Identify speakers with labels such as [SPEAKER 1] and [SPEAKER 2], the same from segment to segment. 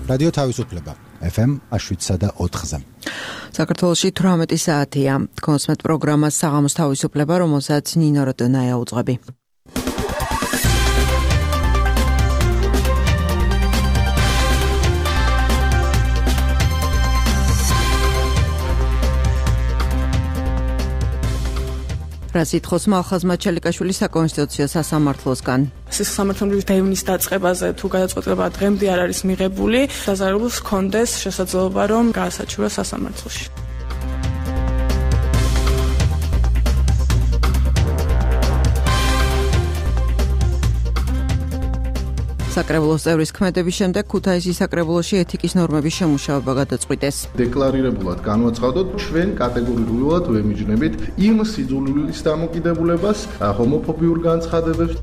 [SPEAKER 1] რადიო თავისუფლება FM 7.4-ზე.
[SPEAKER 2] საქართველოში 18 საათია. კონსმეთ პროგრამა საღამოს თავისუფლება, რომელსაც ნინო როდონაია უძღვები. რასითხოვს მალხაზ მაჩალიკაშვილი საკონსტიტუციო სასამართლოსგან.
[SPEAKER 3] სასამართლოს დევნის დაწყებაზე თუ გადაწყვეტილება დღემდე არ არის მიღებული, დაზარალებულს ჰქონდეს შესაძლებლობა რომ გაასაჩივროს სასამართლოში. საკრებულოს წევრის ქმედების შემდეგ ქუთაისის საკრებულოში ეთიკის ნორმების შემუშავება გადაწყვიტეს.
[SPEAKER 4] დეკლარირებულად განვაცხადოთ, ჩვენ კატეგორიულად ვემიჯნებით იმ სიძულვილის დამოკიდებულებას, ჰომოფობიურ განცხადებებს.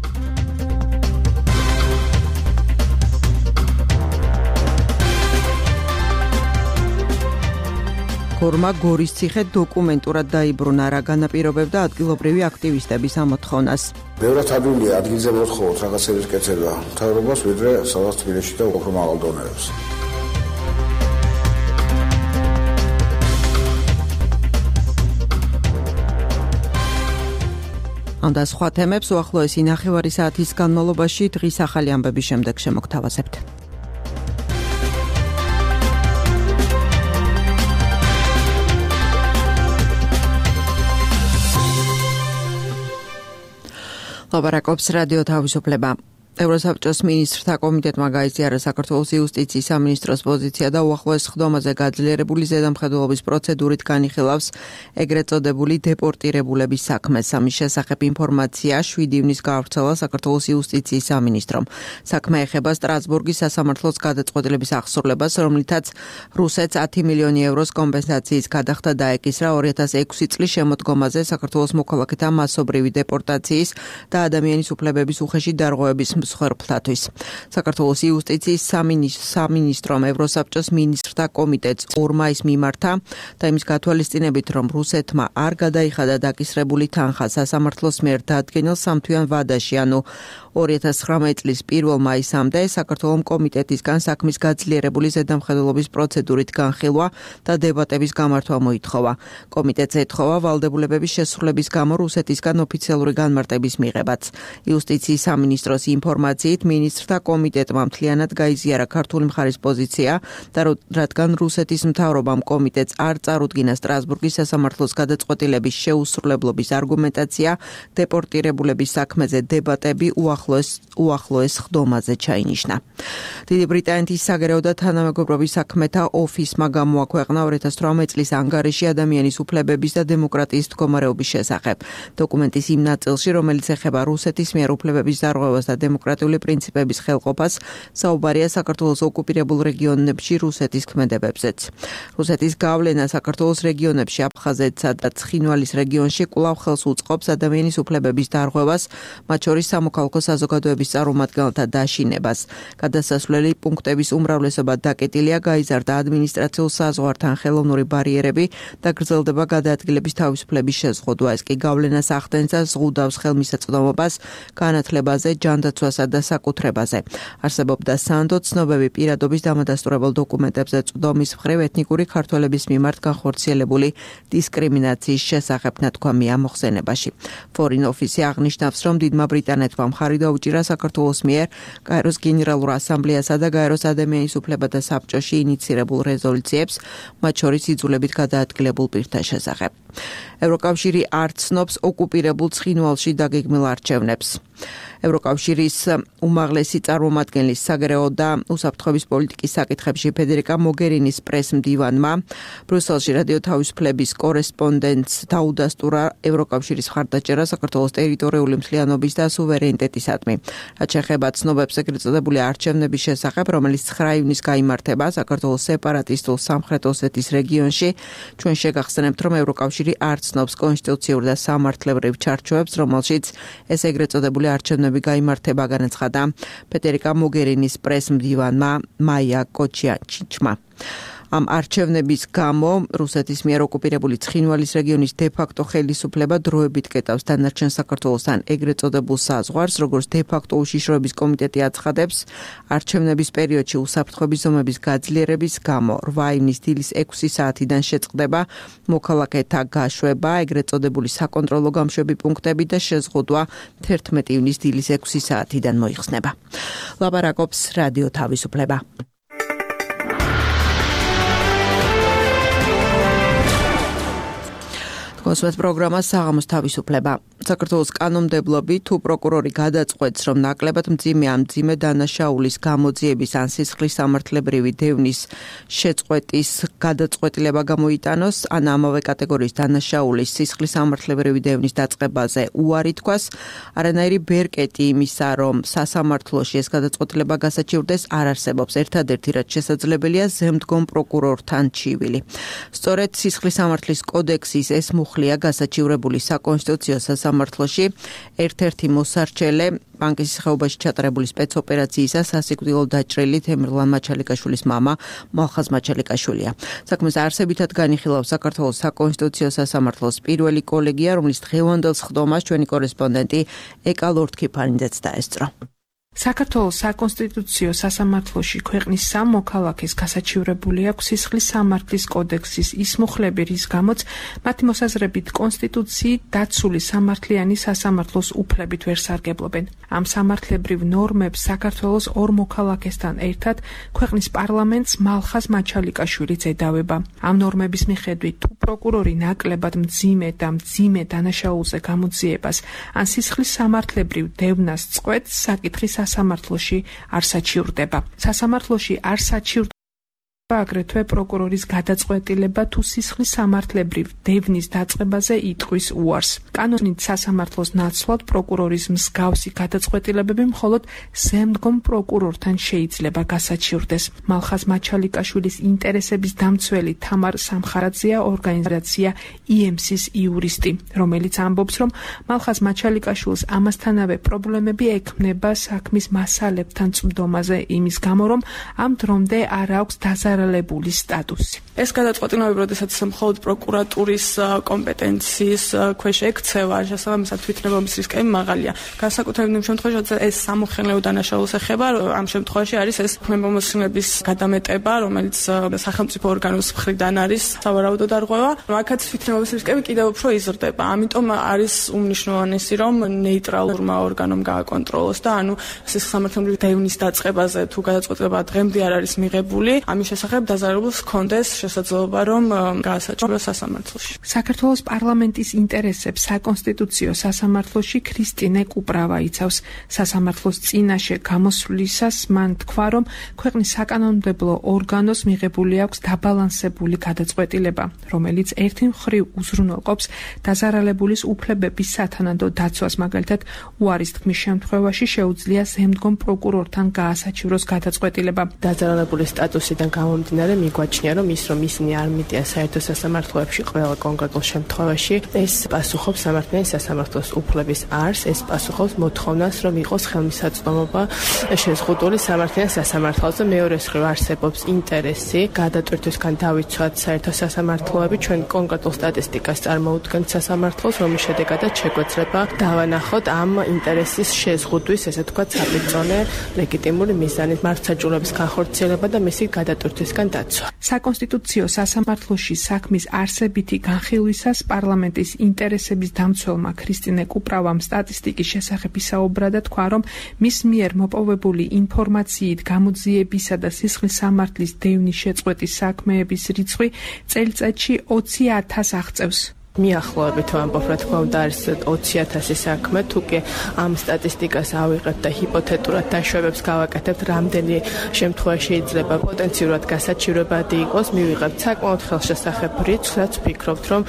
[SPEAKER 2] ფორმა გორის ციხე დოკუმენტურად დაიბრუნა, რა განაპირობებდა ადგილობრივი აქტივისტების ამოთხოვნას.
[SPEAKER 5] ბევრად ადვილია ადგილზე მოთხოვოთ რაღაცების კეთება მთავრობას, ვიდრე სადაც თბილისში და უფრო მაღალ დონეებს.
[SPEAKER 2] ამ და სხვა თემებს უახლოესი 9 საათის განმავლობაში დღის ახალი ამბების შემდეგ შემოგთავაზებთ. ლაბარაკობს რადიო თავისუფლება. ევროსაბჭოს მინისტრთა კომიტეტმა გაიზიარა საქართველოს იუსტიციის სამინისტროს პოზიცია და უახლოეს სხდომაზე გაძლიერებული ზედამხედველობის პროცედურით განიხილავს ეგრეთ წოდებული დეპორტირებულების საქმეს. ამის შესახებ ინფორმაცია 7 ივნის გაავრცელა საქართველოს იუსტიციის სამინისტრომ. საქმე ეხება სტრასბურგის სასამართლოს გადაწყვეტილების აღსრულებას, რომლითაც რუსეთს 10 მილიონი ევროს კომპენსაციის გადახდა დაეკისრა 2006 წლის შემოდგომაზე საქართველოს მოქალაქეთა მასობრივი დეპორტაციის და ადამიანის უფლებების უხეში დარღვევების მსხვერპლთათვის. საქართველოს იუსტიციის სამინისტრომ ევროსაბჭოს მინისტრთა კომიტეტს 2 მაისს მიმართა და იმის გათვალისწინებით, რომ რუსეთმა არ გადაიხადა დაკისრებული თანხა სასამართლოს მიერ დადგენილ სამთვიან ვადაში, ანუ 2019 წლის 1 მაისამდე საქართველოს კომიტეტისგან საქმის გაძლიერებული ზედამხედველობის პროცედურით განხილვა და დებატების გამართვა მოითხოვა. კომიტეტს ეთხოვა ვალდებულებების შესრულების გამო რუსეთისგან ოფიციალური განმარტების მიღებაც. იუსტიციის სამინისტროს ინფორმაციით მინისტრთა კომიტეტმა მთლიანად გაიზიარა ქართული მხარის პოზიცია და რადგან რუსეთის მთავრობამ კომიტეტს არ წარუდგინა სტრასბურგის სასამართლოს გადაწყვეტილების შეუსრულებლობის არგუმენტაცია, დეპორტირებულების საქმეზე დებატები უახლოეს ხდომაზე ჩაინიშნა. დიდი ბრიტანეთის საგარეო და თანამეგობრობის საქმეთა ოფისმა გამოაქვეყნა 2018 წლის ანგარიში ადამიანის უფლებების და დემოკრატიის მდგომარეობის შესახებ. დოკუმენტის იმ ნაწილში, რომელიც ეხება რუსეთის მიერ უფლებების დარღვევას და დემოკრატიული პრინციპების ხელყოფას, საუბარია საქართველოს ოკუპირებულ რეგიონებში რუსეთის ქმედებებზეც. რუსეთის გავლენა საქართველოს რეგიონებში აფხაზეთსა და ცხინვალის რეგიონში კვლავ ხელს უწყობს ადამიანის უფლებების დარღვევას, მათ შორის სამოქალაქო საზოგადოების წარმომადგენელთა დაშინებას. გადასასვლელი პუნქტების უმრავლესობა დაკეტილია, გაიზარდა ადმინისტრაციულ საზღვართან ხელოვნური ბარიერები და გრძელდება გადაადგილების თავისუფლების შეზღუდვა. ეს კი გავლენას ახდენს და ზღუდავს ხელმისაწვდომობას განათლებაზე, ჯანდაცვასა და საკუთრებაზე. არსებობდა სანდო ცნობები პირადობის დამადასტურებელ დოკუმენტებზე წვდომის მხრივ ეთნიკური ქართველების მიმართ განხორციელებული დისკრიმინაციის შესახებ ნათქვამია მოხსენებაში. Foreign Office აღნიშნავს, რომ დიდმა ბრიტანეთმა მხარი დაუჭირა საქართველოს მიერ გაეროს გენერალურ ასამბლეასა და გაეროს ადამიანის უფლებათა საბჭოში ინიცირებულ რეზოლუციებს, მათ შორის იძულებით გადაადგილებულ პირთა შესახებ. ევროკავშირი არ ცნობს ოკუპირებულ ცხინვალში დაგეგმილ არჩევნებს. ევროკავშირის უმაღლესი წარმომადგენლის საგარეო და უსაფრთხოების პოლიტიკის საკითხებში ფედერიკა მოგერინის პრეს-მდივანმა ბრიუსელში რადიო თავისუფლების კორესპონდენტს დაუდასტურა ევროკავშირის მხარდაჭერა საქართველოს ტერიტორიული მთლიანობის და სუვერენიტეტისადმი. რაც შეეხება ცნობებს ეგრეთ წოდებული არჩევნების შესახებ, რომელიც 9 ივნისს გაიმართება საქართველოს სეპარატისტულ სამხრეთ ოსეთის რეგიონში, ჩვენ შეგახსენებთ, რომ ევროკავშირი არ ცნობს კონსტიტუციურ და სამართლებრივ ჩარჩოებს, რომელშიც ეს ეგრეთ წოდებული არჩევნები გაიმართება, განაცხადა ფედერიკა მოგერინის პრეს-მდივანმა მაია კოჩიაჩიჩმა. ამ არჩევნების გამო რუსეთის მიერ ოკუპირებული ცხინვალის რეგიონის დე-ფაქტო ხელისუფლება დროებით კეტავს დანარჩენ საქართველოსთან ეგრეთ წოდებულ საზღვარს, როგორც დე-ფაქტო უშიშროების კომიტეტი აცხადებს, არჩევნების პერიოდში უსაფრთხოების ზომების გაძლიერების გამო 8 ივნის დილის 6 საათიდან შეწყდება მოქალაქეთა გაშვება, ეგრეთ წოდებული საკონტროლო გამშვები პუნქტები და შეზღუდვა 11 ივნის დილის 6 საათიდან მოიხსნება. ლაპარაკობს რადიო თავისუფლება. კონსულტ პროგრამა საღამოს თავისუფლება. საქართველოს კანონმდებლობი თუ პროკურორი გადაწყვეტს, რომ ნაკლებად მძიმე ან მძიმე დანაშაულის გამოძიების ან სისხლის სამართლებრივი დევნის შეწყვეტის გადაწყვეტილება გამოიტანოს, ან ამავე კატეგორიის დანაშაულის სისხლის სამართლებრივი დევნის დაწყებაზე უარი თქვას, არანაირი ბერკეტი იმისა, რომ სასამართლოში ეს გადაწყვეტილება გასაჩივრდეს, არ არსებობს. ერთადერთი რაც შესაძლებელია ზემდგომ პროკურორთან ჩივილი. სწორედ სისხლის სამართლის კოდექსის ეს მუხლია გასაჩივრებული საკონსტიტუციო სასამართლოში ერთ-ერთი მოსარჩელე ბანკის ხეობაში ჩატარებული სპეცოპერაციისა სასიკვდილო დაჭრილი თემირლან მაჩალიკაშვილის მამა მალხაზ მაჩალიკაშვილია. საქმეს არსებითად განიხილავს საქართველოს საკონსტიტუციო სასამართლოს პირველი კოლეგია, რომლის დღევანდელ სხდომას ჩვენი კორესპონდენტი ეკა ლორთქიფანიძეც დაესწრო.
[SPEAKER 6] საქართველოს საკონსტიტუციო სასამართლოში ქვეყნის სამ მოქალაქეს გასაჩივრებული აქვს სისხლის სამართლის კოდექსის ის მუხლები, რის გამოც მათი მოსაზრებით კონსტიტუციით დაცული სამართლიანი სასამართლოს უფლებით ვერ სარგებლობენ. ამ სამართლებრივ ნორმებს საქართველოს ორ მოქალაქესთან ერთად ქვეყნის პარლამენტს მალხაზ მაჩალიკაშვილიც ედავება. ამ ნორმების მიხედვით თუ პროკურორი ნაკლებად მძიმე და მძიმე დანაშაულზე გამოძიებას ან სისხლის სამართლებრივ დევნას წყვეტს, საკითხის სასამართლოში არ საჩივრდება. სასამართლოში არ საჩივრდება აგრეთვე პროკურორის გადაწყვეტილება თუ სისხლის სამართლებრივ დევნის დაწყებაზე იტყვის უარს. კანონით სასამართლოს ნაცვლად პროკურორის მსგავსი გადაწყვეტილებები მხოლოდ ზემდგომ პროკურორთან შეიძლება გასაჩივრდეს. მალხაზ მაჩალიკაშვილის ინტერესების დამცველი თამარ სამხარაძეა ორგანიზაცია IEMS-ის იურისტი, რომელიც ამბობს, რომ მალხაზ მაჩალიკაშვილს ამასთანავე პრობლემები ექმნება საქმის მასალებთან წმდომაზე იმის გამო, რომ ამ დრომდე არ აქვს დაზარალებული სტატუსი.
[SPEAKER 3] ეს გადაწყვეტილებები, როდესაც მხოლოდ პროკურატურის კომპეტენციის ქვეშ ექცევა, შესაბამისად თვითნებობის რისკები მაღალია. განსაკუთრებით იმ შემთხვევაში, როცა ეს სამოხელეო დანაშაულს ეხება, ამ შემთხვევაში არის ეს თვითნებობის გადამეტება, რომელიც სახელმწიფო ორგანოს მხრიდან არის სავარაუდო დარღვევა. აქაც თვითნებობის რისკები კიდევ უფრო იზრდება. ამიტომ არის უმნიშვნელოვანესი, რომ ნეიტრალურმა ორგანომ გააკონტროლოს და ანუ სისხლის სამართლებრივი დევნის დაწყებაზე თუ გადაწყვეტილება დღემდე არ არის მიღებული, ამის შესახებ დაზარალებულს ჰქონდეს შესაძლებლობა, რომ გაასაჩივროს სასამართლოში.
[SPEAKER 6] საქართველოს პარლამენტის ინტერესებს საკონსტიტუციო სასამართლოში ქრისტინე კუპრავა იცავს. სასამართლოს წინაშე გამოსვლისას მან თქვა, რომ ქვეყნის საკანონმდებლო ორგანოს მიღებული აქვს დაბალანსებული გადაწყვეტილება, რომელიც ერთი მხრივ უზრუნველყოფს დაზარალებულის უფლებების სათანადო დაცვას, მაგალითად, უარის თქმის შემთხვევაში შეუძლია ზემდგომ პროკურორთან გაასაჩივროს გადაწყვეტილება.
[SPEAKER 7] დაზარალებული სტატუსიდან გამომდინარე მიგვაჩნია, რომ ისინი არ მიდიან საერთო სასამართლოებში ყველა კონკრეტულ შემთხვევაში, ეს პასუხობს სამართლიანი სასამართლოს უფლების არს, ეს პასუხობს მოთხოვნას, რომ იყოს ხელმისაწვდომობა შეზღუდული სამართლიან სასამართლოზე. მეორე მხრივ არსებობს ინტერესი გადატვირთვისგან დავიცვათ საერთო სასამართლოები, ჩვენ კონკრეტულ სტატისტიკას წარმოუდგენთ სასამართლოს, რომლის შედეგადაც შეგვეძლება დავანახოთ ამ ინტერესის შეზღუდვის, ესე ვთქვათ, საპირწონე ლეგიტიმური მიზანით მართლმსაჯულების განხორციელება და მისი გადატვირთვისგან დაცვა.
[SPEAKER 6] საკონსტიტუციო სასამართლოში საქმის არსებითი განხილვისას პარლამენტის ინტერესების დამცველმა ქრისტინე კუპრავამ სტატისტიკის შესახებ ისაუბრა და თქვა, რომ მის მიერ მოპოვებული ინფორმაციით გამოძიებისა და სისხლის სამართლის დევნის შეწყვეტის საქმეების რიცხვი წელიწადში 20,000 აღწევს.
[SPEAKER 7] მიახლოებით ვამბობ, რა თქმა უნდა, არის 20,000 საქმე, თუ კი ამ სტატისტიკას ავიღებთ და ჰიპოთეტურად დაშვებებს გავაკეთებთ, რამდენი შემთხვევა შეიძლება პოტენციურად გასაჩივრებადი იყოს, მივიღებთ საკმაოდ ხელშესახებ რიცხვს, რაც ვფიქრობთ, რომ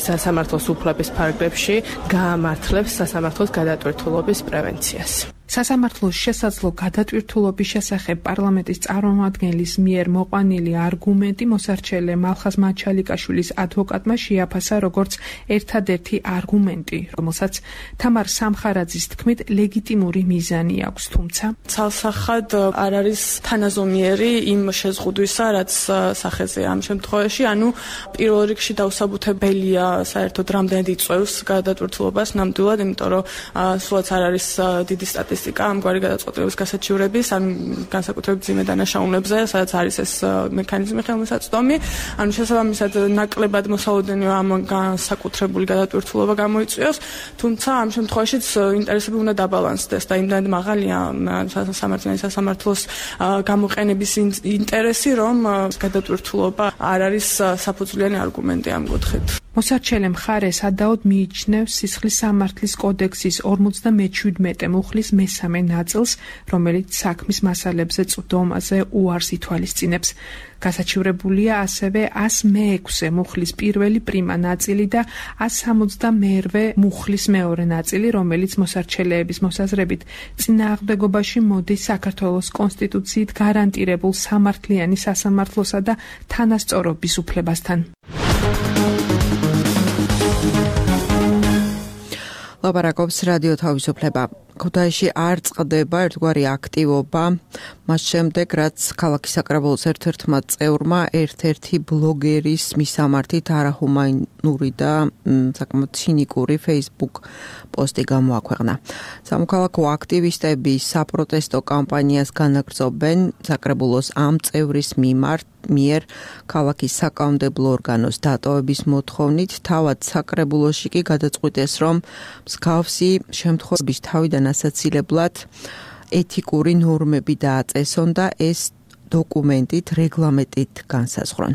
[SPEAKER 7] სასამართლოს უფლების ფარგლებში გაამართლებს სასამართლოს გადატვირთულობის პრევენციას.
[SPEAKER 6] სასამართლოს შესაძლო გადატვირთულობის შესახებ პარლამენტის წარმომადგენლის მიერ მოყვანილი არგუმენტი მოსარჩელე მალხაზ მაჩალიკაშვილის ადვოკატმა შეაფასა როგორც ერთადერთი არგუმენტი, რომელსაც თამარ სამხარაძის თქმით ლეგიტიმური მიზანი აქვს, თუმცა
[SPEAKER 3] ცალსახად არ არის თანაზომიერი იმ შეზღუდვისა, რაც სახეზეა ამ შემთხვევაში, ანუ პირველ რიგში დაუსაბუთებელია საერთოდ რამდენად იწვევს გადატვირთულობას ნამდვილად, იმიტომ რომ სულაც არ არის დიდი სტატისტიკა ამგვარი გადაწყვეტილების გასაჩივრების, ან განსაკუთრებით მძიმე დანაშაულებზე, სადაც არის ეს მექანიზმი ხელმისაწვდომი, ანუ შესაბამისად ნაკლებად მოსალოდნელია ამ განსაკუთრებული გადატვირთულობა გამოიწვიოს, თუმცა ამ შემთხვევაშიც ინტერესები უნდა დაბალანსდეს და იმდანად მაღალია სასამართლოს გამოყენების ინტერესი, რომ გადატვირთულობა არ არის საფუძვლიანი არგუმენტი ამ კუთხით.
[SPEAKER 6] მოსარჩელე მხარე სადაოდ მიიჩნევს სისხლის სამართლის კოდექსის 57 მუხლის მესამე ნაწილს, რომელიც საქმის მასალებზე წვდომაზე უარს ითვალისწინებს. გასაჩივრებულია ასევე 106 მუხლის პირველი პრიმა ნაწილი და 160 მუხლის მეორე ნაწილი, რომელიც მოსარჩელეების მოსაზრებით წინააღმდეგობაში მოდის საქართველოს კონსტიტუციით გარანტირებულ სამართლიანი სასამართლოსა და თანასწორობის უფლებასთან.
[SPEAKER 2] ლაპარაკობს რადიო თავისუფლება. ქუთაისში არ წყდება ერთგვარი აქტივობა, მას შემდეგ რაც ქალაქის საკრებულოს ერთ-ერთმა წევრმა ერთ-ერთი ბლოგერის მისამართით არაჰუმანური და საკმაოდ ცინიკური Facebook პოსტი გამოაქვეყნა. სამოქალაქო აქტივისტები საპროტესტო კამპანიას განაგრძობენ საკრებულოს ამ წევრის მიერ ქალაქის საკანონმდებლო ორგანოს დატოვების მოთხოვნით, თავად საკრებულოში კი გადაწყვიტეს, რომ მსგავსი შემთხვევების თავიდან ასაცილებლად ეთიკური ნორმები დააწესონ და ეს დოკუმენტით, რეგლამენტით განსაზღვრონ.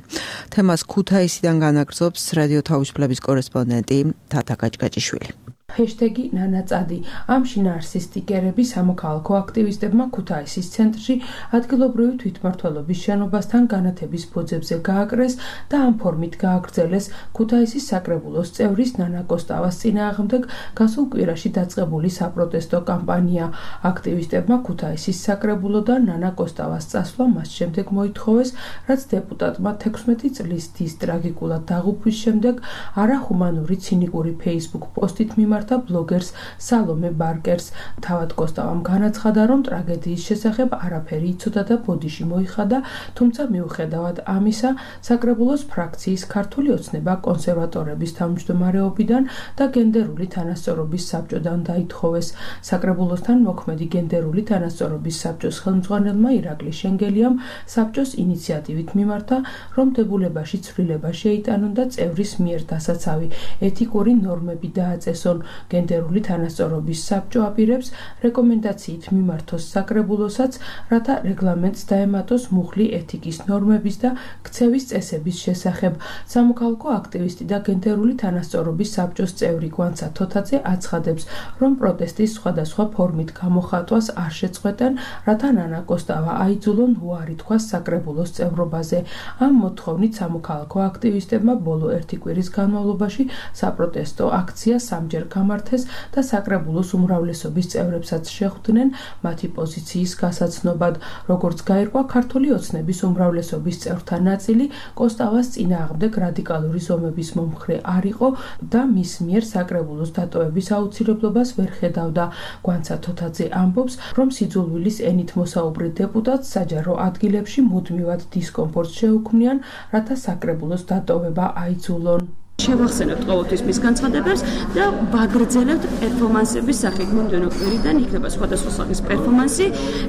[SPEAKER 2] თემას ქუთაისიდან განაგრძობს რადიო თავისუფლების კორესპონდენტი თათა გაჭგაჭიშვილი.
[SPEAKER 8] ჰეშტეგი ნანაწადი. ამ შინაარსის სტიკერები სამოქალაქო აქტივისტებმა ქუთაისის ცენტრში ადგილობრივი თვითმმართველობის შენობასთან განათების ფუძებზე გააკრეს და ამ ფორმით გააგრძელეს ქუთაისის საკრებულოს წევრის ნანა კოსტავას წინააღმდეგ გასულ კვირაში დაწყებული საპროტესტო კამპანია. აქტივისტებმა ქუთაისის საკრებულოდან ნანა კოსტავას წასვლა მას შემდეგ მოითხოვეს, რაც დეპუტატმა 16 წლის დის ტრაგიკულად დაღუპვის შემდეგ არაჰუმანური ცინიკური Facebook პოსტით და ბლოგერს სალომე ბარკერს. თავად კოსტავამ განაცხადა, რომ ტრაგედიის შესახებ არაფერი იცოდა და ბოდიში მოიხადა, თუმცა მიუხედავად ამისა, საკრებულოს ფრაქციის ქართული ოცნება კონსერვატორების თავმჯდომარეობიდან და გენდერული თანასწორობის საბჭოდან დაითხოვეს. საკრებულოსთან მოქმედი გენდერული თანასწორობის საბჭოს ხელმძღვანელმა ირაკლი შენგელიამ საბჭოს ინიციატივით მიმართა, რომ დებულებაში ცვლილება შეიტანონ და წევრის მიერ დასაცავი ეთიკური ნორმები დააწესონ. გენდერული თანასწორობის საბჭო აპირებს რეკომენდაციით მიმართოს საკრებულოსაც, რათა რეგლამენტს დაემატოს მუხლი ეთიკის ნორმების და ქცევის წესების შესახებ. სამოქალაქო აქტივისტი და გენდერული თანასწორობის საბჭოს წევრი გვანცა თოთაძე აცხადებს, რომ პროტესტის სხვადასხვა ფორმით გამოხატვას არ შეწყვეტენ, რათა ნანა კოსტავა აიძულონ უარი თქვას საკრებულოს წევრობაზე. ამ მოთხოვნით სამოქალაქო აქტივისტებმა ბოლო ერთი კვირის განმავლობაში საპროტესტო აქცია სამჯერ გამართეს და საკრებულოს უმრავლესობის წევრებსაც შეხვდნენ მათი პოზიციის გასაცნობად. როგორც გაირკვა, ქართული ოცნების უმრავლესობის წევრთა ნაწილი კოსტავას წინააღმდეგ რადიკალური ზომების მომხრე არ იყო და მის მიერ საკრებულოს დატოვების აუცილებლობას ვერ ხედავდა. გვანცა თოთაძე ამბობს, რომ სიძულვილის ენით მოსაუბრე დეპუტატს საჯარო ადგილებში მუდმივად დისკომფორტს შეუქმნიან, რათა საკრებულოს დატოვება აიძულონ.
[SPEAKER 9] შევახსენებთ ყოველთვის მის განცხადებებს და ვაგრძელებთ პერფორმანსების სახით. მომდევნო კვირიდან იქნება სხვადასხვა სახის პერფორმანსი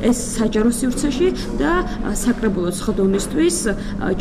[SPEAKER 9] ეს საჯარო სივრცეში და საკრებულოს ხდომისთვის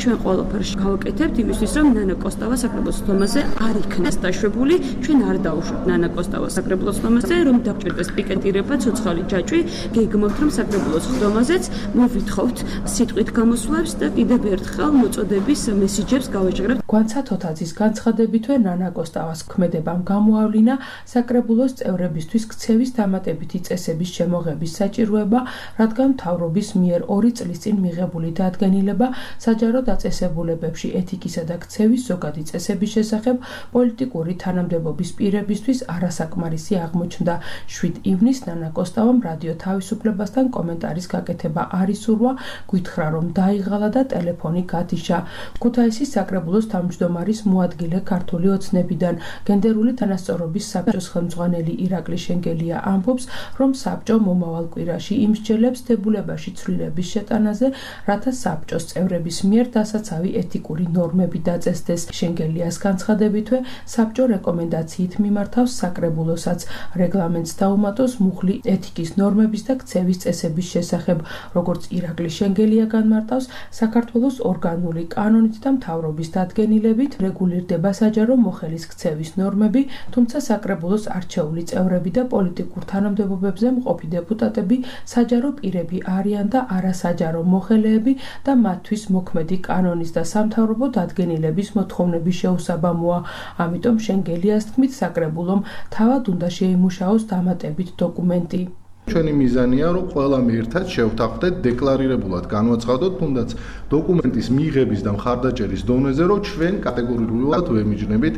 [SPEAKER 9] ჩვენ ყველაფერს გავაკეთებთ იმისთვის, რომ ნანა კოსტავა საკრებულოს ხდომაზე არ იქნას დაშვებული. ჩვენ არ დავუშვებთ ნანა კოსტავას საკრებულოს ხდომაზე, რომ დაგჭირდეს პიკეტირება, ცოცხალი ჯაჭვი. გეგმობთ, რომ საკრებულოს ხდომაზეც მოვითხოვთ სიტყვით გამოსვლებს და კიდევ ერთხელ მოწოდების მესიჯებს გავაჭრებთ.
[SPEAKER 8] გვანცა თოთაძის განცხადება განცხადებითვე ნანა კოსტავას ქმედებამ გამოავლინა საკრებულოს წევრებისთვის ქცევის დამატებითი წესების შემოღების საჭიროება, რადგან მთავრობის მიერ 2 წლის წინ მიღებული დადგენილება საჯარო დაწესებულებებში ეთიკისა და ქცევის ზოგადი წესების შესახებ პოლიტიკური თანამდებობის პირებისთვის არასაკმარისი აღმოჩნდა. 7 ივნისს ნანა კოსტავამ რადიო თავისუფლებასთან კომენტარის გაკეთება არ ისურვა, გითხრა რომ დაიღალა და ტელეფონი გათიშა. ქუთაისის საკრებულოს თავმჯდომარის მოადგილე ქართული ოცნებიდან გენდერული თანასწორობის საბჭოს ხელმძღვანელი ირაკლი შენგელია ამბობს, რომ საბჭო მომავალ კვირაში იმსჯელებს დებულებაში ცვლილების შეტანაზე, რათა საბჭოს წევრების მიერ დასაცავი ეთიკური ნორმები დაწესდეს. შენგელიას განცხადებითვე საბჭო რეკომენდაციით მიმართავს საკრებულოსაც რეგლამენტს დაუმატოს მუხლი ეთიკის ნორმების და ქცევის წესების შესახებ, როგორც ირაკლი შენგელია განმარტავს, საქართველოს ორგანული კანონით და მთავრობის დადგენილებით რეგულირდება საჯარო მოხელის ქცევის ნორმები, თუმცა საკრებულოს არჩეული წევრები და პოლიტიკურ თანამდებობებზე მყოფი დეპუტატები საჯარო პირები არიან და არასაჯარო მოხელეები და მათთვის მოქმედი კანონის და სამთავრობო დადგენილების მოთხოვნები შეუსაბამოა. ამიტომ შენგელიას თქმით საკრებულომ თავად უნდა შეიმუშაოს დამატებით დოკუმენტი.
[SPEAKER 4] ჩვენი მიზანია, რომ ყველამ ერთად შევთანხმდეთ დეკლარირებულად განვაცხადოთ, თუნდაც დოკუმენტის მიღების და მხარდაჭერის დონეზე, რომ ჩვენ კატეგორიულად ვემიჯნებით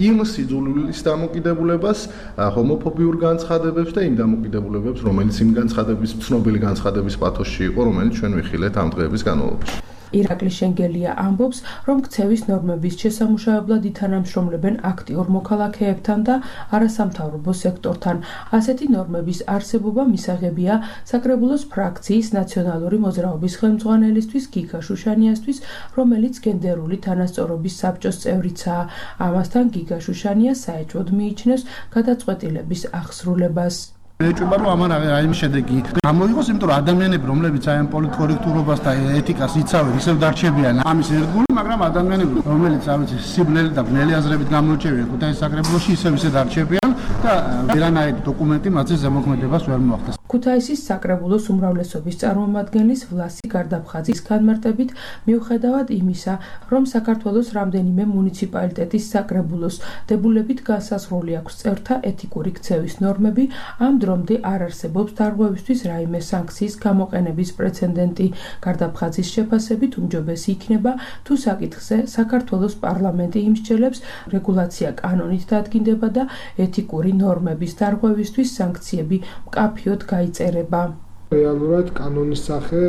[SPEAKER 4] იმ სიძულვილის დამოკიდებულებას, ჰომოფობიურ განცხადებებს და იმ დამოკიდებულებებს, რომელიც იმ განცხადების ცნობილი განცხადების პათოსში იყო, რომელიც ჩვენ ვიხილეთ ამ დღეების განმავლობაში.
[SPEAKER 8] ირაკლი შენგელია ამბობს, რომ ქცევის ნორმების შესამუშავებლად ითანამშრომლებენ აქტიურ მოქალაქეებთან და არასამთავრობო სექტორთან. ასეთი ნორმების არსებობა მისაღებია საკრებულოს ფრაქციის ნაციონალური მოძრაობის ხელმძღვანელისთვის გიგა შუშანიასთვის, რომელიც გენდერული თანასწორობის საბჭოს წევრიცაა. ამასთან გიგა შუშანია საეჭვოდ მიიჩნევს გადაწყვეტილების აღსრულებას.
[SPEAKER 10] ეჭვება რომ ამან რაიმე შედეგი გამოიღოს, იმიტომ რომ ადამიანები, რომლებიც აი ამ პოლიტკორექტურობას და ეთიკას იცავენ, ისევ დარჩებიან ამის ერთგული, მაგრამ ადამიანები, რომელიც ავიცი სიბნელი და ბნელი აზრებით გამორჩევიან ქუთაისის საკრებულოში, ისევ დარჩებიან და ვერანაირი დოკუმენტი მათზე ზემოქმედებას ვერ მოახდენს.
[SPEAKER 8] ქუთაისის საკრებულოს უმრავლესობის წარმომადგენლის ვლასი გარდაფხაძის განმარტებით, მიუხედავად იმისა, რომ საქართველოს რამდენიმე მუნიციპალიტეტის საკრებულოს დებულებით განსაზღვრული აქვს წევრთა ეთიკური ქცევის ნორმები, ამ დრომდე არ არსებობს დარღვევისთვის რაიმე სანქციის გამოყენების პრეცედენტი. გარდაფხაძის შეფასებით უმჯობესი იქნება, თუ საკითხზე საქართველოს პარლამენტი იმსჯელებს, რეგულაცია კანონით დადგინდება და ეთიკური ნორმების დარღვევისთვის სანქციები მკაფიოდ გაიწერება.
[SPEAKER 11] რეალურად კანონის სახე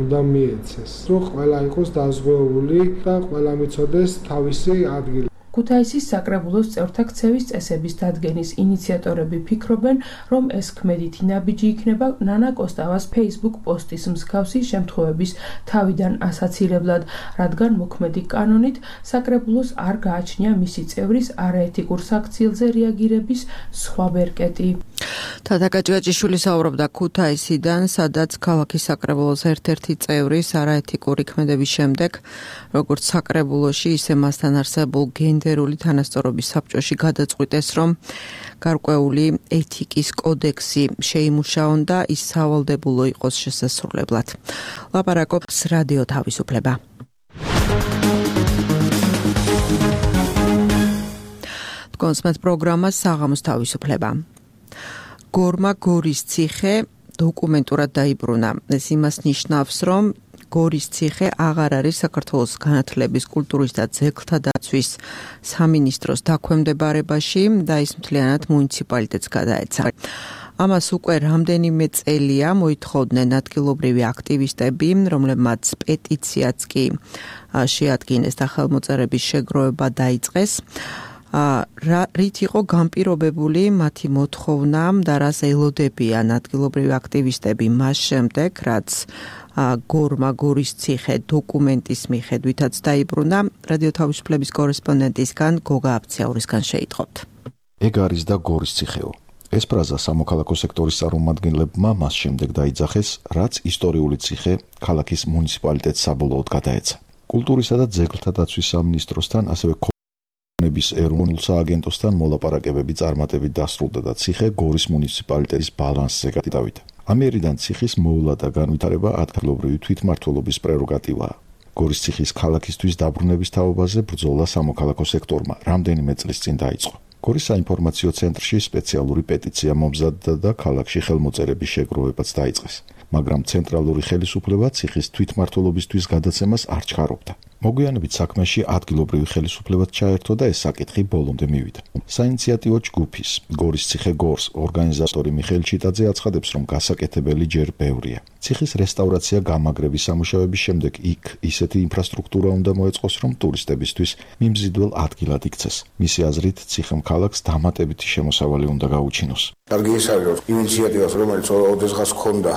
[SPEAKER 11] უნდა მიეცეს, რომ ყველა იყოს დაზღვეული და ყველა მიცოდეს თავისი ადგილი.
[SPEAKER 8] ქუთაისის საკრებულოს წევრთა ქცევის წესების დადგენის ინიციატორები ფიქრობენ, რომ ეს ქმედითი ნაბიჯი იქნება ნანა კოსტავას Facebook პოსტის მსგავსი შემთხვევების თავიდან ასაცილებლად, რადგან მოქმედი კანონით საკრებულოს არ გააჩნია მისი წევრის არაეთიკურ საქციელზე რეაგირების სხვა ვერკეტი.
[SPEAKER 2] თათა გაჭგაჭიშვილი საუბრობდა ქუთაისიდან, სადაც ქალაქის საკრებულოს ერთ-ერთი წევრის არაეთიკური ქმედების შემდეგ, როგორც საკრებულოში, ისე მასთან არსებულ გენდერული თანასწორობის საბჭოში გადაწყვიტეს, რომ გარკვეული ეთიკის კოდექსი შეიმუშაონ და ის სავალდებულო იყოს შესასრულებლად. ლაპარაკობს რადიო თავისუფლება. კონსმეთ პროგრამა საღამოს თავისუფლება. გორმა გორის ციხე დოკუმენტურად დაიბრუნა. ეს იმას ნიშნავს, რომ გორის ციხე აღარ არის საქართველოს განათლების, კულტურის და ძეგლთა დაცვის სამინისტროს დაქვემდებარებაში და ის მთლიანად მუნიციპალიტეტს გადაეცა. ამას უკვე რამდენიმე წელია მოითხოვდნენ ადგილობრივი აქტივისტები, რომლებმაც პეტიციაც კი შეადგინეს და ხელმოწერების შეგროვება დაიწყეს. რით იყო განპირობებული მათი მოთხოვნა და რას ელოდებიან ადგილობრივი აქტივისტები მას შემდეგ, რაც გორმა გორის ციხე დოკუმენტის მიხედვითაც დაიბრუნა. რადიო თავისუფლების კორესპონდენტისგან გოგა აფციაურისგან შეიტყობთ.
[SPEAKER 12] ეგ არის და გორის ციხეო. ეს ფრაზა სამოქალაქო სექტორის წარმომადგენლებმა მას შემდეგ დაიძახეს, რაც ისტორიული ციხე ქალაქის მუნიციპალიტეტს საბოლოოდ გადაეცა. კულტურისა და ძეგლთა დაცვის სამინისტროსთან, ასევე ების ეროვნულ სააგენტოსთან მოლაპარაკებები წარმატებით დასრულდა და ციხე გორის მუნიციპალიტეტის ბალანსზე გადავიდა. ამიერიდან ციხის მოვლა და განვითარება ადგილობრივი თვითმმართველობის პრეროგატივაა. გორის ციხის ქალაქისთვის დაბრუნების თაობაზე ბრძოლა სამოქალაქო სექტორმა რამდენიმე წლის წინ დაიწყო. გორის საინფორმაციო ცენტრში სპეციალური პეტიცია მომზადდა და ქალაქში ხელმოწერების შეგროვებაც დაიწყეს. მაგრამ ცენტრალური ხელისუფლება ციხის თვითმმართველობისთვის გადაცემას არ ჩქარობდა. მოგვიანებით საქმეში ადგილობრივი ხელისუფლებაც ჩაერთო და ეს საკითხი ბოლომდე მივიდა. საინიციატივო ჯგუფის გორის ციხე გორს ორგანიზატორი მიხეილ ჩიტაძე აცხადებს, რომ გასაკეთებელი ჯერ ბევრია. ციხის რესტავრაცია გამაგრების სამუშაოების შემდეგ იქ ისეთი ინფრასტრუქტურა უნდა მოეწყოს, რომ ტურისტებისთვის მიმზიდველ ადგილად იქცეს. მისი აზრით, ციხემ ქალაქს დამატებითი შემოსავალი უნდა გაუჩინოს.
[SPEAKER 5] კარგი ის არის, რომ ინიციატივას, რომელიც ოდესღაც ჰქონდა,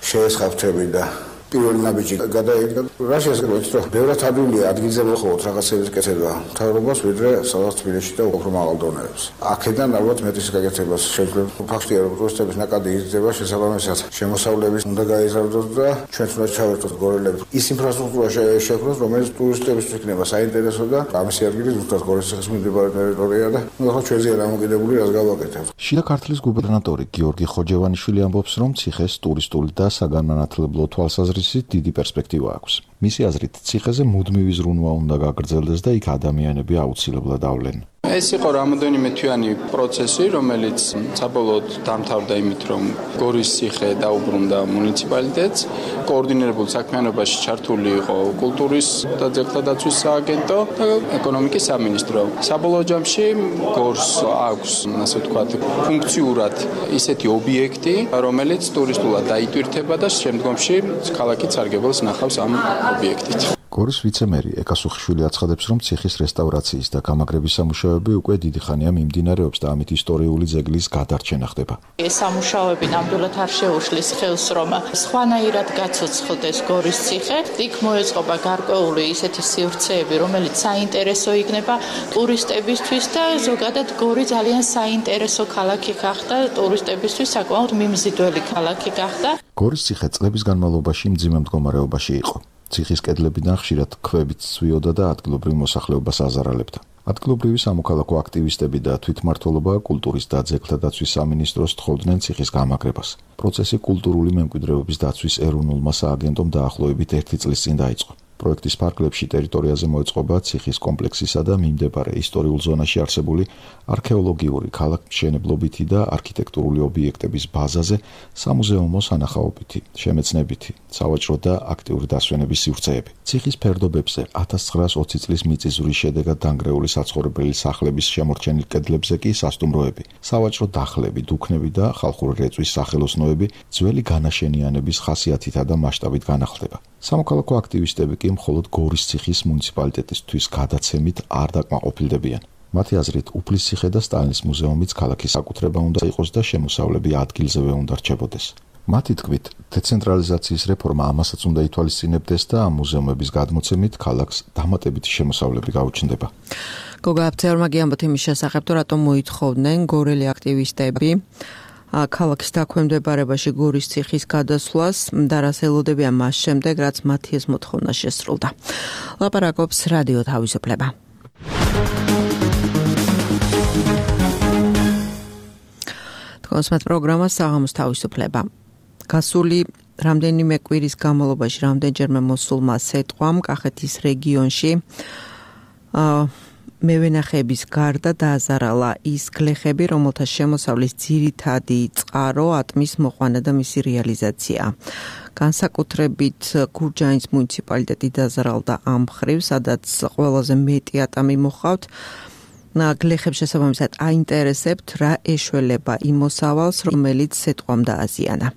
[SPEAKER 5] შეესხაფთები და პირველი ნაბიჯი გადაიდგა. რა შესაძლოა, რომ ბევრად ადვილია ადგილზე მოხდეთ რაღაცების კეთება მთავრობას, ვიდრე სადაც თბილისში და უფრო მაღალ დონეებზე. აქედან ალბათ მეტის გაკეთებას შეგვიძლია. ფაქტია, რომ ტურისტების ნაკადი იზრდება, შესაბამისად შემოსავლების უნდა გაიზარდოს და ჩვენც უნდა ჩავერთოთ გორელებს. ის ინფრასტრუქტურა შექმნას, რომელიც ტურისტებისთვის იქნება საინტერესო და ამისი ადგილი ზუსტად გორის ციხის მიმდებარე ტერიტორია და ახლა ჩვენზეა დამოკიდებული, რას გავაკეთებთ.
[SPEAKER 12] შიდა ქართლის გუბერნატორი გიორგი ხოჯევანიშვილი ამბობს, რომ ციხეს ტურისტული და საგანმანათლებლო თვალსაზრისით დიდი პერსპექტივა აქვს. მისი აზრით, ციხეზე მუდმივი ზრუნვა უნდა გაგრძელდეს და იქ ადამიანები აუცილებლად ავლენ.
[SPEAKER 13] ეს იყო რამოდენიმე თვიანი პროცესი, რომელიც საბოლოოდ დამთავრდა იმით, რომ გორის ციხე დაუბრუნდა მუნიციპალიტეტს. კოორდინირებულ საქმიანობაში ჩართული იყო კულტურის და ძეგლთა დაცვის სააგენტო და ეკონომიკის სამინისტრო. საბოლოო ჯამში გორს აქვს, ასე ვთქვათ, ფუნქციურად ისეთი ობიექტი, რომელიც ტურისტულად დაიტვირთება და შემდგომში ქალაქიც სარგებელს ნახავს ამ ობიექტით.
[SPEAKER 12] გორის ვიცემერი ეკასუხიშვილი აცხადებს, რომ ციხის რესტავრაციის და გამაგრების სამუშაოები უკვე დიდი ხანია მიმდინარეობს და ამით ისტორიული ძეგლის გადარჩენა ხდება.
[SPEAKER 14] ეს სამუშაოები ნამდვილად არ შეუშლის ხელს, რომ სხვანაირად გაცოცხლდეს გორის ციხე. იქ მოეწყობა გარკვეული ისეთი სივრცეები, რომელიც საინტერესო იქნება ტურისტებისთვის და ზოგადად გორი ძალიან საინტერესო ქალაქი გახდა, ტურისტებისთვის საკმაოდ მიმზიდველი ქალაქი გახდა.
[SPEAKER 12] გორის ციხე წლების განმავლობაში მძიმე მდგომარეობაში იყო. ციხის კედლებიდან ხშირად ქვებით ცვიოდა და ადგილობრივ მოსახლეობას აზარალებდა. ადგილობრივი სამოქალაქო აქტივისტები და თვითმმართველობა კულტურის და ძეგლთა დაცვის სამინისტროს თხოვდნენ ციხის გამაგრებას. პროცესი კულტურული მემკვიდრეობის დაცვის ეროვნულმა სააგენტომ დაახლოებით 1 წლის წინ დაიწყო. პროექტის ფარგლებში ტერიტორიაზე მოეწყობა ციხის კომპლექსისა და მიმდებარე ისტორიულ ზონაში არსებული არქეოლოგიური, ქალაქმშენებლობითი და არქიტექტურული ობიექტების ბაზაზე სამუზეუმო სანახაობითი, შემეცნებითი, სავაჭრო და აქტიური დასვენების სივრცეები. ციხის ფერდობებზე 1920 წლის მიწისძვრის შედეგად დანგრეული საცხოვრებელი სახლების შემორჩენილ კედლებზე კი სასტუმროები, სავაჭრო დახლები, დუქნები და ხალხური რეწვის სახელოსნოები ძველი განაშენიანების ხასიათითა და მასშტაბით განახლდება. სამოქალაქო აქტივისტები კი მხოლოდ გორის ციხის მუნიციპალიტეტისთვის გადაცემით არ დაკმაყოფილდებიან. მათი აზრით, უფლის ციხე და სტალინის მუზეუმიც ქალაქის საკუთრება უნდა იყოს და შემოსავლები ადგილზევე უნდა რჩებოდეს. მათი თქმით, დეცენტრალიზაციის რეფორმა ამასაც უნდა ითვალისწინებდეს და ამ მუზეუმების გადმოცემით ქალაქს დამატებითი შემოსავლები გაუჩნდება.
[SPEAKER 2] გოგა აფცეორმა გიამბოთ იმის შესახებ, თუ რატომ მოითხოვდნენ გორელი აქტივისტები ქალაქის დაქვემდებარებაში გორის ციხის გადასვლას და რას ელოდებიან მას შემდეგ, რაც მათი ეს მოთხოვნა შესრულდა. ლაპარაკობს რადიო თავისუფლება. თქვენს პროგრამას საღამოს თავისუფლება. გასული რამდენიმე კვირის განმავლობაში რამდენჯერმე მოსულმა სეტყვამ კახეთის რეგიონში მევენახეების გარდა დააზარალა ის გლეხები, რომელთა შემოსავლის ძირითადი წყარო ატმის მოყვანა და მისი რეალიზაცია. განსაკუთრებით გურჯაანის მუნიციპალიტეტი დააზარალდა ამ მხრივ, სადაც ყველაზე მეტი ატამი მოჰყავთ. გლეხებს შესაბამისად აინტერესებთ, რა ეშველება იმ მოსავალს, რომელიც სეტყვამ დააზიანა.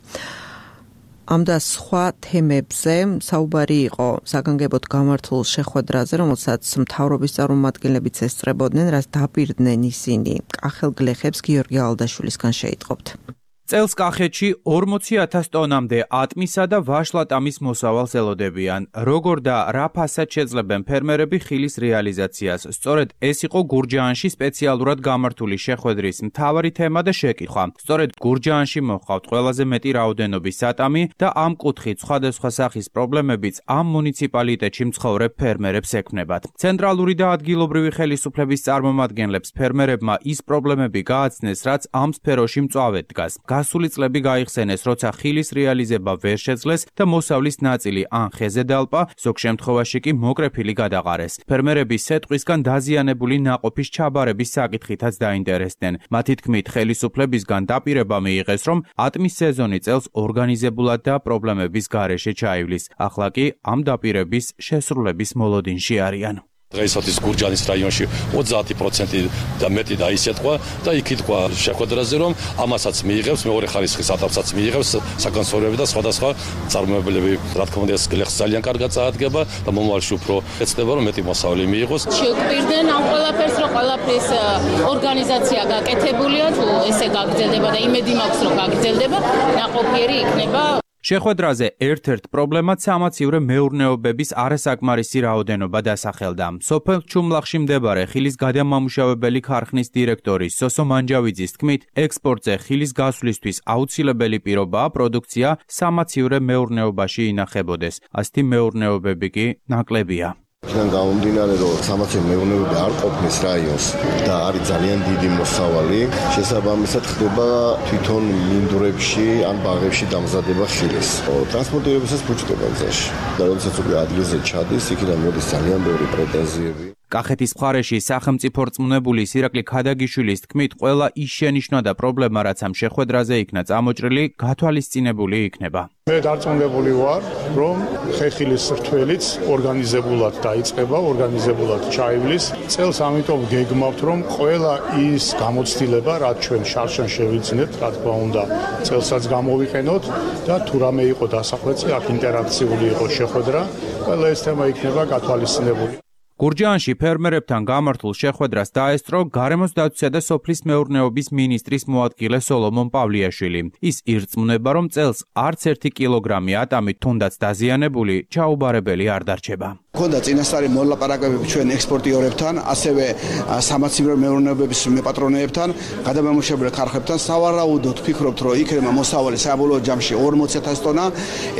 [SPEAKER 2] ამ და სხვა თემებზე საუბარი იყო საგანგებოდ გამართულ შეხვედრაზე, რომელსაც მთავრობის წარმომადგენლებიც ესწრებოდნენ, რაც დაპირდნენ ისინი კახელ გლეხებს გიორგი ალდაშვილისგან შეიტყობთ.
[SPEAKER 15] წელს კახეთში 40,000 ტონამდე ატმისა და ვაშლატამის მოსავალს ელოდებიან. როგორ და რა ფასად შეძლებენ ფერმერები ხილის რეალიზაციას? სწორედ ეს იყო გურჯაანში სპეციალურად გამართული შეხვედრის მთავარი თემა და შეკითხვა. სწორედ გურჯაანში მოჰყავთ ყველაზე მეტი რაოდენობის ატამი და ამ კუთხით სხვადასხვა სახის პრობლემებიც ამ მუნიციპალიტეტში მცხოვრებ ფერმერებს ექმნებათ. ცენტრალური და ადგილობრივი ხელისუფლების წარმომადგენლებს ფერმერებმა ის პრობლემები გააცნეს, რაც ამ სფეროში მწვავედ დგას. გასული წლები გაიხსენეს, როცა ხილის რეალიზება ვერ შეძლეს და მოსავლის ნაწილი ან ხეზე დალპა, ზოგ შემთხვევაში კი მოკრეფილი გადაყარეს. ფერმერები სეტყვისგან დაზიანებული ნაყოფის ჩაბარების საკითხითაც დაინტერესდნენ. მათი თქმით, ხელისუფლებისგან დაპირება მიიღეს, რომ ატმის სეზონი წელს ორგანიზებულად და პრობლემების გარეშე ჩაივლის. ახლა კი ამ დაპირების შესრულების მოლოდინში არიან.
[SPEAKER 16] დღეისათვის გურჯანის რაიონში 30% და მეტი დაისეთყვა და იქითქვა შეხვედრაზე, რომ ამასაც მიიღებს, მეორე ხარისხის ატაპსაც მიიღებს საკონსერვები და სხვადასხვა წარმოებელები. რა თქმა უნდა, ეს გლეხს ძალიან კარგად წაადგება და მომავალში უფრო ეცდება, რომ მეტი მოსავლე მიიღოს.
[SPEAKER 17] შეგვირდნენ ამ ყველაფერს, რომ ყველაფრის ორგანიზაცია გაკეთებულია, თუ ესე გაგრძელდება და იმედი მაქვს, რომ გაგრძელდება, ნაყოფიერი იქნება.
[SPEAKER 15] შეხვედრაზე ერთ-ერთ პრობლემად სამაცივრე მეურნეობების არასაკმარისი რაოდენობა დასახელდა. სოფელ ჩუმლახში მდებარე ხილის გადამამუშავებელი ქარხნის დირექტორი სოსო მანჯავიძის თქმით, ექსპორტზე ხილის გასვლისთვის აუცილებელი პირობაა პროდუქცია სამაცივრე მეურნეობაში ინახებოდეს. ასეთი მეურნეობები კი ნაკლებია.
[SPEAKER 18] იქიდან გამომდინარე, რომ სამაცივრო მეურნეობა არ ყოფნის რაიონს და არის ძალიან დიდი მოსავალი, შესაბამისად ხდება თვითონ მინდვრებში ან ბაღებში დამზადება ხილის. ტრანსპორტირებისას ფუჭდება გზაში. და როდესაც უკვე ადგილზე ჩადის, იქიდან მოდის ძალიან ბევრი პრეტენზიები.
[SPEAKER 15] კახეთის მხარეში სახელმწიფო რწმუნებული ირაკლი ქადაგიშვილის თქმით, ყველა ის შენიშვნა და პრობლემა, რაც ამ შეხვედრაზე იქნა წამოჭრილი, გათვალისწინებული იქნება.
[SPEAKER 19] მე დარწმუნებული ვარ, რომ ხეხილის რთველიც ორგანიზებულად დაიწყება, ორგანიზებულად ჩაივლის. წელს ამიტომ გეგმავთ, რომ ყველა ის გამოცდილება, რაც ჩვენ შარშან შევიძინეთ, რა თქმა უნდა, წელსაც გამოვიყენოთ და თუ რამე იყო დასახვეცი, აქ ინტერაქციული იყო შეხვედრა, ყველა ეს თემა იქნება გათვალისწინებული.
[SPEAKER 15] გურჯაანში ფერმერებთან გამართულ შეხვედრას დაესწრო გარემოს დაცვისა და სოფლის მეურნეობის მინისტრის მოადგილე სოლომონ პავლიაშვილი. ის ირწმუნება, რომ წელს არც 1 კილოგრამი ატამი თუნდაც დაზიანებული ჩაუბარებელი არ დარჩება.
[SPEAKER 20] ქონდა წინასწარი მოლაპარაკებები ჩვენ ექსპორტიორებთან, ასევე სამაცივრო მეურნეობების მეპატრონეებთან, გადამამუშავებელი ქარხნებთან. სავარაუდოდ ვფიქრობთ, რომ იქნება მოსავალი საბოლოო ჯამში 40,000 ტონა,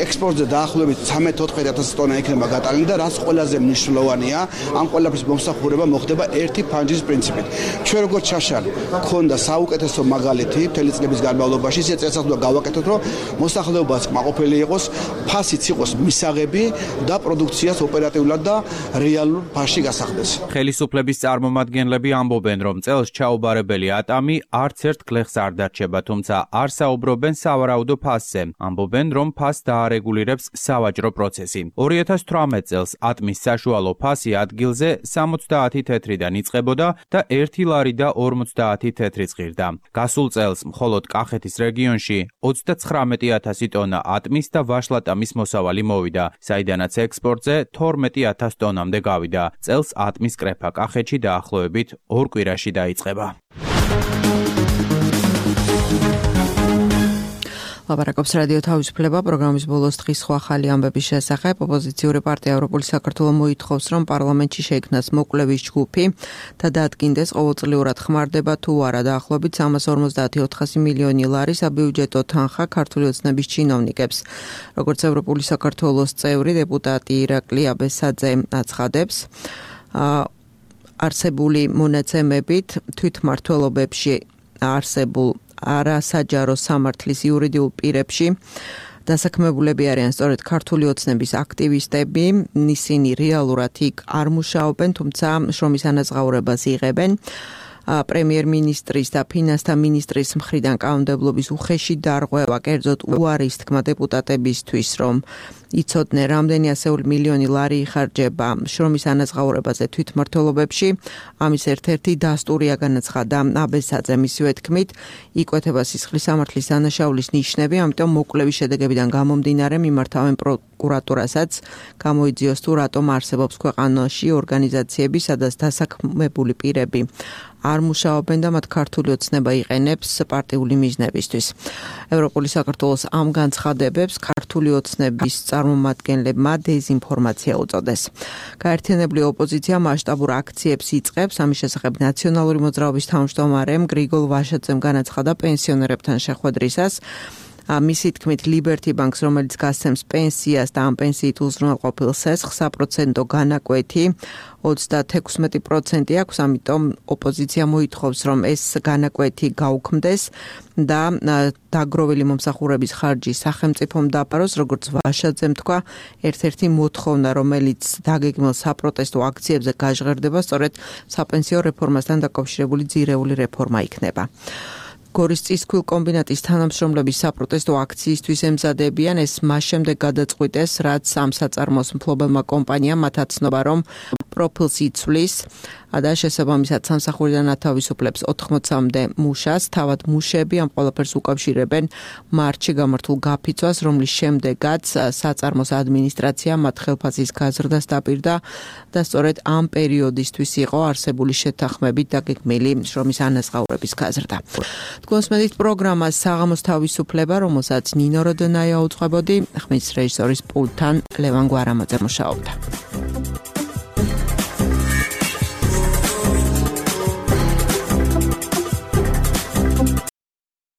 [SPEAKER 20] ექსპორტზე დაახლოებით 13-14,000 ტონა იქნება გატანილი და რაც ყველაზე მნიშვნელოვანია, ამ ყველაფრის მომსახურება მოხდება ერთი ფანჯრის პრინციპით. ჩვენ როგორც ჩაშალი ქონდა საუკეთესო მაგალითი მთელი წლების განმავლობაში, ეს წელსაც უნდა გავაკეთოთ, რომ მოსახლეობაც კმაყოფილი იყოს, ფასიც იყოს მისაღები და პროდუქციას ოპერატიულად და რეალურ ფასში გასახდეს.
[SPEAKER 15] ხელისუფლების წარმომადგენლები ამბობენ, რომ წელს ჩაუბარებელი ატამი არც ერთ გლეხს არ დარჩება, თუმცა არ საუბრობენ სავარაუდო ფასზე. ამბობენ, რომ ფასს დაარეგულირებს სავაჭრო პროცესი. 2018 წელს ატმის საშუალო ფასი ადგილზე 70 თეთრიდან იწყებოდა და 1 ლარი და 50 თეთრი წღირდა. გასულ წელს მხოლოდ კახეთის რეგიონში 39,000 ტონა ატმის და ვაშლატამის მოსავალი მოვიდა, საიდანაც ექსპორტზე 12,000 ტონამდე გავიდა. წელს ატმის კრეფა კახეთში დაახლოებით 2 კვირაში დაიწყება.
[SPEAKER 2] ლაპარაკობს რადიო თავისუფლება პროგრამის ბოლოს დღის სხვა ხალი ამბების შესახებ. ოპოზიციური პარტია ევროპული საქართველო მოითხოვს, რომ პარლამენტში შეიქმნას მოკვლევის ჯგუფი და დადგინდეს ყოველწლიურად ხმარდება თუ არა დაახლოებით 350-400 მილიონი ლარი საბიუჯეტო თანხა ქართული ოცნების ჩინოვნიკებს. როგორც ევროპული საქართველოს წევრი დეპუტატი ირაკლი აბესაძე აცხადებს, არსებული მონაცემებით თვითმმართველობებში არსებულ არასაჯარო სამართლის იურიდიულ პირებში დასაქმებულები არიან სწორედ ქართული ოცნების აქტივისტები. ისინი რეალურად იქ არ მუშაობენ, თუმცა შრომის ანაზღაურებას იღებენ. პრემიერ-მინისტრის და ფინანსთა მინისტრის მხრიდან კანონმდებლობის უხეში დარღვევა, კერძოდ უარის თქმა დეპუტატებისთვის, რომ იცოდნენ, რამდენი ასეული მილიონი ლარი იხარჯება შრომის ანაზღაურებაზე თვითმმართველობებში. ამის ერთ-ერთი დასტურია, განაცხადა აბესაძემ. მისივე თქმით, იკვეთება სისხლის სამართლის დანაშაულის ნიშნები, ამიტომ მოკვლევის შედეგებიდან გამომდინარე მიმართავენ პროკურატურასაც გამოიძიოს თუ რატომ არსებობს ქვეყანაში ორგანიზაციები, სადაც დასაქმებული პირები არ მუშაობენ და მათ ქართული ოცნება იყენებს პარტიული მიზნებისთვის. ევროპული საქართველოს ამ განცხადებებს ქართული ოცნების წარმომადგენლებმა დეზინფორმაცია უწოდეს. გაერთიანებული ოპოზიცია მასშტაბურ აქციებს იწყებს. ამის შესახებ ნაციონალური მოძრაობის თავმჯდომარემ გრიგოლ ვაშაძემ განაცხადა პენსიონერებთან შეხვედრისას. მისი თქმით, Liberty Bank-ს, რომელიც გასცემს პენსიას და ამ პენსიით უზრუნველყოფილ სესხს, 100% განაკვეთი 36% აქვს, ამიტომ ოპოზიცია მოითხოვს, რომ ეს განაკვეთი გაუქმდეს და დაგროვილი მომსახურების ხარჯი სახელმწიფომ დაფაროს, როგორც ვაშაძემ თქვა, ერთ-ერთი მოთხოვნა, რომელიც დაგეგმილ საპროტესტო აქციებზე გაჟღერდება, სწორედ საპენსიო რეფორმასთან დაკავშირებული ძირეული რეფორმა იქნება. გორის წისქვილ კომბინატის თანამშრომლები საპროტესტო აქციისთვის ემზადებიან, ეს მას შემდეგ გადაწყვიტეს, რაც ამ საწარმოს მფლობელმა კომპანიამ მათ აცნობა, რომ პროფილს იცვლის და შესაბამისად სამსახურიდან ათავისუფლებს 80-მდე მუშას, თავად მუშები ამ ყველაფერს უკავშირებენ მარტში გამართულ გაფიცვას, რომლის შემდეგაც საწარმოს ადმინისტრაცია მათ ხელფასის გაზრდას დაპირდა და სწორედ ამ პერიოდისთვის იყო არსებული შეთანხმებით დაგეგმილი შრომის ანაზღაურების გაზრდა. თქვენს მედით პროგრამას საღამოს თავისუფლება, რომელსაც ნინო როდონაია უძღვებოდი, ხმის რეჟისორის პულტთან ლევან გვარამაძე მუშაობდა.